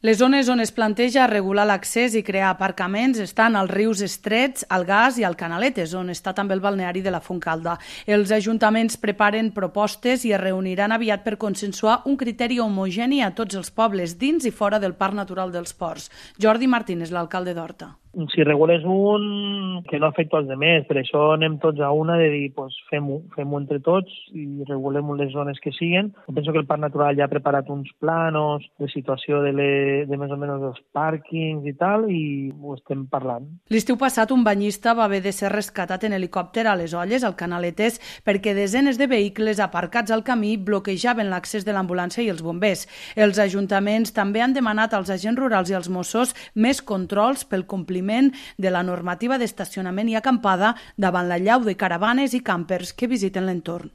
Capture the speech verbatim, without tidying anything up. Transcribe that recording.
Les zones on es planteja regular l'accés i crear aparcaments estan als rius estrets, al Gas i al Canaletes, on està també el balneari de la Fontcalda. Els ajuntaments preparen propostes i es reuniran aviat per consensuar un criteri homogeni a tots els pobles dins i fora del Parc Natural dels Ports. Jordi Martínez, l'alcalde d'Horta. Si regules un, que no afecta els altres, per això anem tots a una de dir, pues, fem-ho fem entre tots i regulem les zones que siguen. Jo penso que el Parc Natural ja ha preparat uns planos de situació de, le, de més o menys els pàrquings i tal, i ho estem parlant. L'estiu passat un banyista va haver de ser rescatat en helicòpter a les Olles, al Canaletes, perquè desenes de vehicles aparcats al camí bloquejaven l'accés de l'ambulància i els bombers. Els ajuntaments també han demanat als agents rurals i als Mossos més controls pel compliment de la normativa d'estacionament i acampada davant la llau de caravanes i càmpers que visiten l'entorn.